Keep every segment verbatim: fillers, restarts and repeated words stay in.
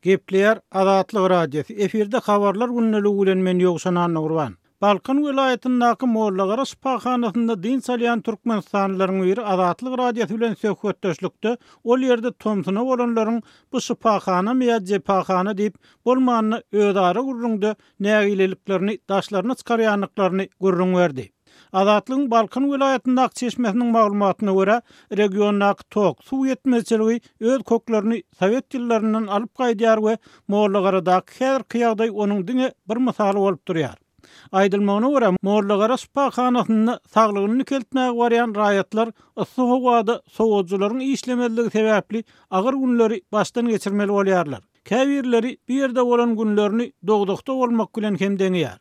Gepleýär Azatlyk Radiosy. Efirde habarlar gündeligi bilen men Ýowşan Annagurban. Balkan welaýatyndaky Mollagara şypahanasynda dynç alýan türkmenistanlylaryň biri Azatlyk Radiosy bilen söhbetdeşlikde ol ýerde tomsuna bolanlaryň bu şypahanamy ýa jepahana diýip, bolmanda özara gürrüňde nägileliklerini daşlaryna çykarýandyklaryny gürrüň berdi. Azatlygyň Balkan welaýatyndaky çeşmesiniň maglumatyna görä, regiondaky tok, suw ýetmezçiligi öz köklerini sowet ýyllaryndan alyp gaýdýar we Mollagaradaky häzirki ýagdaý onuň diňe bir mysaly bolup durýar. Aýdylmagyna görä, Mollagara şypahanasynda saglygyny dikeltmäge barýan raýatlar yssy howada sowadyjylaryň işlemezligi sebäpli agyr günleri başdan geçirmeli bolýarlar. Käbirleri bu ýerde bolan günlerini dowzahda bolmak bilen hem deňeýär.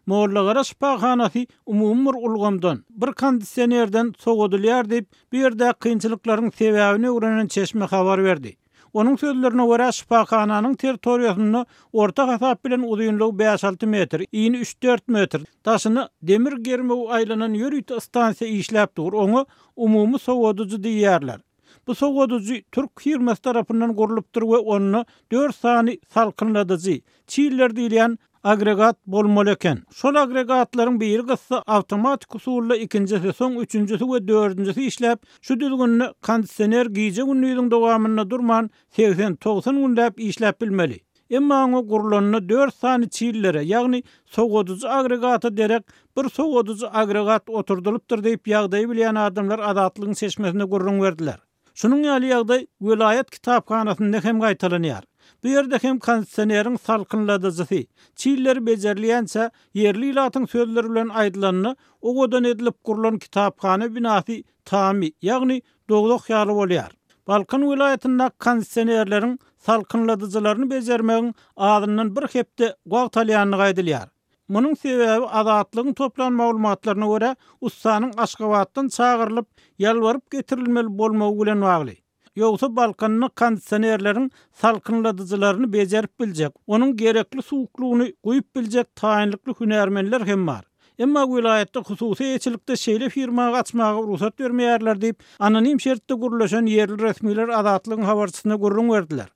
Mollagara şypahanasy umumy bir ulgamdan, bir kondisionerden sowadylýar diýip, bu ýerde kynçylyklaryň sebäbini öwrenen çeşme habar berdi. Onuň sözlerine görä, şypahananyň territoriýasynda orta hasap bilen uzynlygy bäş-alty metr, ini üç-dört metr, daşyna demir germew aýlanan ýörite stansiýa işläp dur, oňa umumy sowadyjy diýýärler. Bu sowadyjy türk firmasy tarapyndan gurlupdyr we onda dört sany salkynladyjy, çiller diýilýän agregat bolmaly eken. Şol agregatlaryň biri gyssa awtomatik usulda ikinjisi, soň üçünjisi we dördünjisi işläp, şu düzgünde kondisioner gije-gündiziň dowamynda durman segsen-togsan günläp işläp bilmeli. Emma oňa gurlanda dört sany çillere, ýagny sowadyjy agregata derek bir sowadyjy agregat oturdylypdyr diýip ýagdaýy bilýän adamlar Azatlygyň çeşmesine gürrüň berdiler. Şunuň ýaly ýagdaý welaýat kitaphanasynda hem gaýtalanýar. Bu ýerde hem kondisioneriň salkynladyjysy, çilleri bejerilýänçä ýerli ilatyň sözleri bilen aýdylanda, owadan edilip gurlan kitaphana binasy tamy, ýagny dowzah ýaly bolýar. Balkan welaýatynda kondisionerleriň salkynladyjylaryny bejermegiň azyndan bir hepde wagt alýandygy aýdylýar. Munuň sebäbi Azatlygyň toplan maglumatlaryna görä, ussanyň Aşgabatdan çagyrylyp, ýalbaryp getirilmeli bolmagy bilen bagly. Ýogsa Balkanda kondisionerleriň salkynladyjylaryny bejerip biljek, onuň gerekli suwuklygyny guýup biljek taýynlykly hünärmenler hem bar. Emma welaýatda hususy eýeçilikde şeýle firma açmaga rugsat bermeýärler diýip, anonim şertde gürleşen ýerli resmiler Azatlygyň habarçysyna gürrüň berdiler.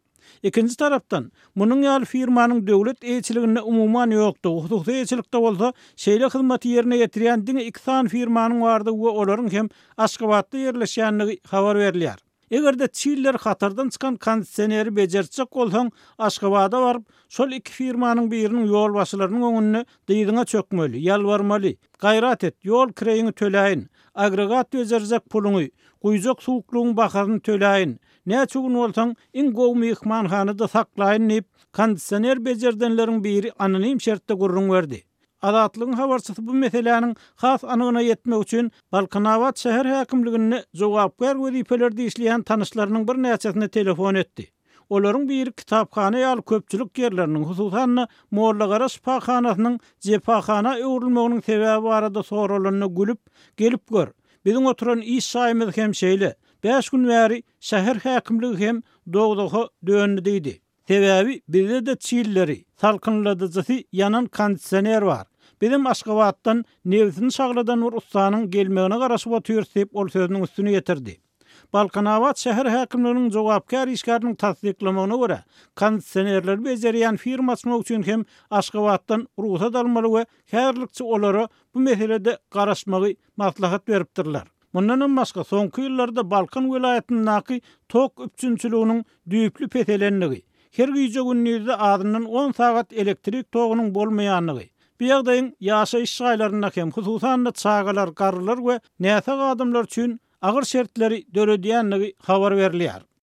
Ikinji tarapdan, munuň ýaly firmanyň döwlet eýeçiliginde umuman ýokdugy, hususy eýeçilikde bolsa şeýle hyzmaty ýerine ýetirýän diňe iki sany firmanyň bardygy we olaryň hem Aşgabatda ýerleşýändigi habar berilýär. Eger-de çiller hatardan çykan kondisioneri bejertjek bolsaň, Aşgabada baryp, şol iki firmanyň biriniň ýolbaşçylarynyň öňünde dyzyňa çökmeli, ýalbarmaly, gaýrat et, ýol kireýiňi töläýin, agregat bejerjek puluňy, guýjak suwuklygyň bahasyny töläýin, näçe gün bolsaň, iň gowy myhmanhanada saklaýyn diýip, kondisioner bejerdenleriň biri anonim şertde gürrüň berdi. Azatlygyň habarçysy bu meseläniň has anygyna ýetmek üçin Balkanabat şäher häkimliginde jogapkär wezipelerde işleýän tanyşlarynyň birnäçesine telefon etdi. Olaryň biri kitaphana ýaly köpçülik ýerleriniň, hususan-da Mollagara şypahanasynyň jepahana öwrülmeginiň sebäbi barada soralanda gülüp, gelip gör, biziň oturan iş jaýymyz hem şeýle, bäş gün bäri şäher häkimligi hem dowzaha döndi diýdi. Sebäbi bizde-de çilleri, salkynladyjysy ýanan kondisioner bar. Bizim Aşgabatdan nebsini şagladan bir ussanyň gelmegine garaşyp otyrys diýip, ol sözüniň üstüni ýetirdi. Balkanabat şäher häkimliginiň jogapkär işgäriniň tassyklamagyna görä, kondisionerleri bejerýän firma açmak üçin hem Aşgabatdan rugsat almaly we häzirlikçe olara bu meselede garaşmagy maslahat beripdirler. Mundanam başga, soňky ýyllarda Balkan welaýatyndaky tok üpjünçiliginiň düýpli peselendigi, her gije-gündizde azyndan on sagat elektrik togunyň bolmaýandygy, bu ýagdaýyň ýaşaýyş jaýlarynda hem, hususan-da çagalar, garrylar we näsag adamlar üçin agyr şertleri döredýändigi habar berilýär.